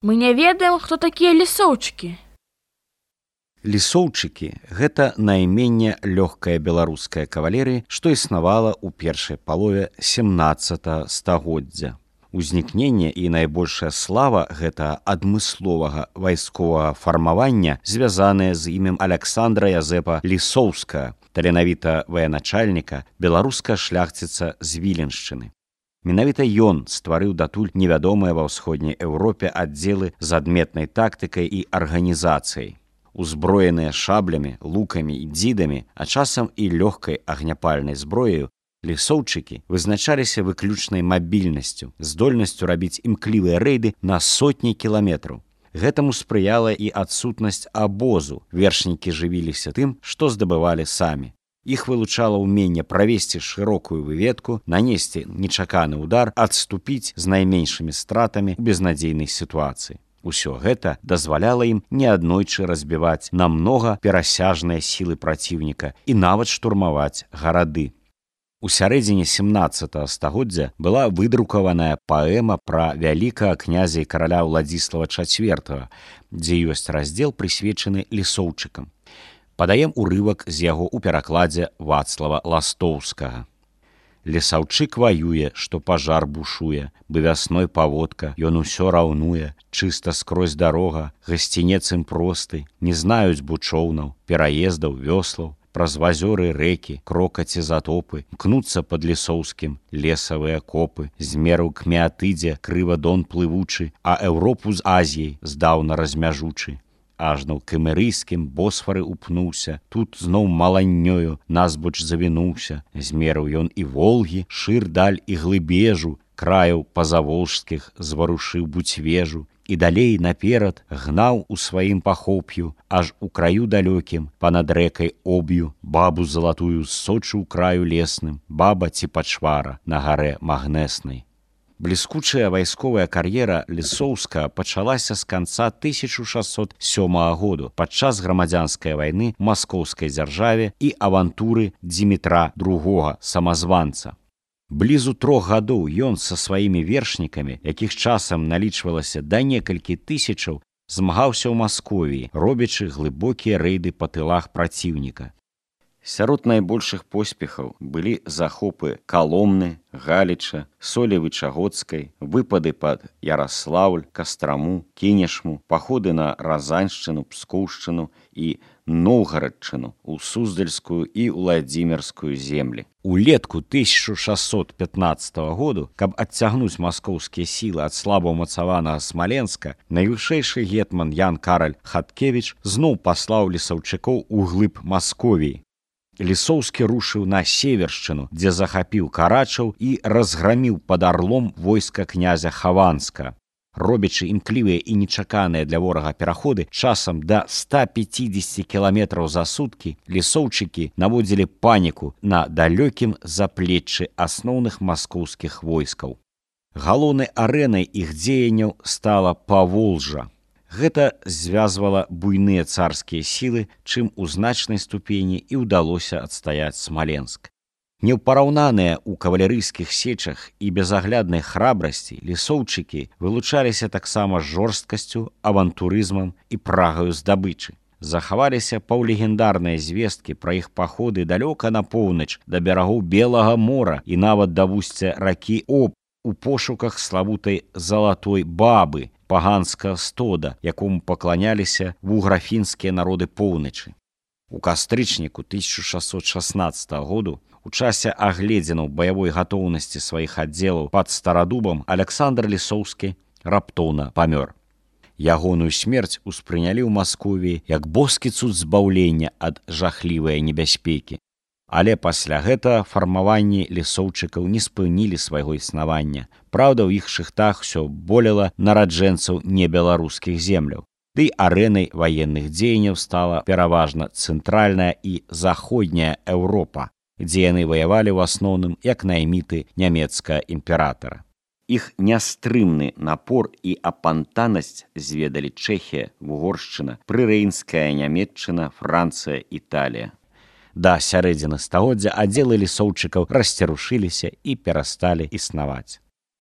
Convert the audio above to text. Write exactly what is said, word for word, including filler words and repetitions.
Мы не ведаем, хто такія лісоўчыкі. Лісоўчыкі – гэта найменне лёгкая беларуская кавалерыя, што існавала ў першай палове сямнаццатага стагоддзя. Узнікненне і найбольшая слава гэта адмысловага вайсковага фармавання, звязанае з імем Аляксандра Язэпа Лісоўскага, таленавіта ваяначальніка, беларуска шляхціца з Віленшчыны. Менавіта ён стварыў датуль невядомыя ва ўсходняй Еўропе аддзелы з адметнай тактыкай і арганізацыяй. Узброеныя шаблямі, лукамі і дзідамі, а часам і лёгкай агняпальнай зброяю, лісоўчыкі вызначаліся выключнай мабільнасцю, здольнасцю рабіць імклівыя рэйды на сотні кіламетраў. Гэтаму спрыяла і адсутнасць абозу. Вершнікі жывіліся тым, што здабывалі самі. Іх вылучала ўменне правесці шырокую выведку, нанесці нечаканы ўдар, адступіць з найменшымі стратамі ў безнадзейнай сітуацыі. Усё гэта дазваляла ім неаднойчы разбіваць намнога перасяжныя сілы праціўніка і нават штурмаваць гарады. У сярэдзіне сямнаццатага стагоддзя была выдрукаваная паэма пра вялікага князя і караля Уладзіслава чацвёртага, дзе ёсць раздзел, прысвечаны лісоўчыкам. Падаем урывак з яго ў перакладзе Вацлава Ластоўскага. Лісаўчык ваюе, што пажар бушуе, бы вясной паводка, ён усё раўнуе, чыста скрозь дарога, гасцінец ім просты, не знаюць бучоўнаў, пераездаў, вёслаў, праз вазёры рэкі, крокаці затопы, мкнуцца пад лісоўскім лесавыя копы, з меру к Меатыдзе крыва дон плывучы, а Еўропу з Азіяй здаўна размяжучы. Ажно к Кемерыйскім Босфары упнуўся, тут зноў маланнёю назбоч завінуўся, змерыў ён і Волгі, шыр даль і глыбежу, краяў пазаволжскіх зварушыў буцвежу, і далей наперад гнаў у сваім пахоп'ю, аж у краю далёкім, панад рэкай Об'ю, бабу залатую з Сочы ў краю лесным, баба ці пачвара на гарэ магнеснай. Бліскучая вайсковая кар'ера Лісоўскага пачалася з канца тысяча шасцьсот сёмага году падчас грамадзянскай вайны ў маскоўскай дзяржаве і авантуры Дзімітра другога самазванца. Блізу трох гадоў ён са сваімі вершнікамі, якіх часам налічвалася да некалькі тысячаў, змагаўся ў Масковіі, робячы глыбокія рэйды па тылах праціўніка. Сярод найбольшых поспехаў былі захопы Каломны, Галіча, Солевы-Чагодскай, выпады пад Яраслаўль, Кастраму, Кінешму, паходы на Разаншчыну, Пскоўшчыну і Новгарадчыну, у Суздальскую і Уладзімірскую землі. Улетку тысяча шасцьсот пятнаццатага году, каб адцягнуць маскоўскія сілы ад слаба ўмацаванага Смаленска, найвышэйшы гетман Ян Караль Хаткевіч зноў паслаў лісаўчыкоў у глыб Масковіі. Лісоўскі рушыў на Севершчыну, дзе захапіў Карачаў і разграміў пад Арлом войска князя Хаванска. Робячы імклівыя і нечаканыя для ворага пераходы часам да ста пяцідзесяці кіламетраў за суткі, лісоўчыкі наводзілі паніку на далёкім заплеччы асноўных маскоўскіх войскаў. Галоўнай арэнай іх дзеянняў стала Паволжа. Гэта звязвала буйныя царскія сілы, чым у значнай ступені і ўдалося адстаяць Смаленск. Неўпараўнаныя ў кавалерыйскіх сечах і безагляднай храбрасці лісоўчыкі вылучаліся таксама жорсткасцю, авантурызмам і прагаю здабычы. Захаваліся паўлегендарныя звесткі пра іх паходы далёка на поўнач да берагоў Белага мора і нават да вусця ракі Обь у пошуках славутай залатой бабы, паганскага стода, якому пакланяліся вуграфінскія народы поўначы. У кастрычніку тысяча шасцьсот шаснаццатага году у часе агледзінаў баявой гатоўнасці сваіх аддзелаў пад Старадубам Аляксандр Лісоўскі раптоўна памёр. Ягоную смерць успрынялі ў Масковіі як боскі цуд збаўлення ад жахлівай небяспекі. Але пасля гэтага фармаванні лісоўчыкаў не спынілі свайго існавання. Праўда, ў іх шыхтах усё болела нараджэнцаў небеларускіх земляў. Ды арэнай ваенных дзеянняў стала пераважна цэнтральная і заходняя Еўропа, дзе яны ваявалі ў асноўным як найміты нямецкага імператара. Іх нястрымны напор і апантанасць зведалі Чэхія, Вугоршчына, прырэйнская Нямецчына, Францыя, Італія. Да сярэдзіны стагоддзя аддзелы лісоўчыкаў расцярушыліся і перасталі існаваць.